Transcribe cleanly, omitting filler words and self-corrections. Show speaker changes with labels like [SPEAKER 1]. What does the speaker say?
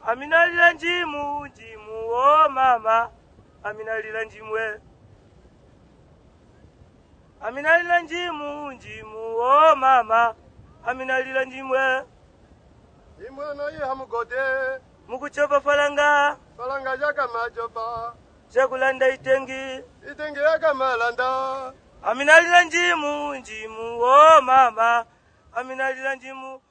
[SPEAKER 1] Amina lila njimu, njimu, oh mama. Amina lila njimwe. Amina lila njimu, njimu, oh mama. Amina lila njimwe.
[SPEAKER 2] Imwe no iha mugode.
[SPEAKER 1] Mukuchopa falanga.
[SPEAKER 2] Falanga jaka majopa.
[SPEAKER 1] Chakulanda itengi.
[SPEAKER 2] Itengi yaka malanda.
[SPEAKER 1] Amina lila njimu, njimu, oh mama. Amina lila njimu.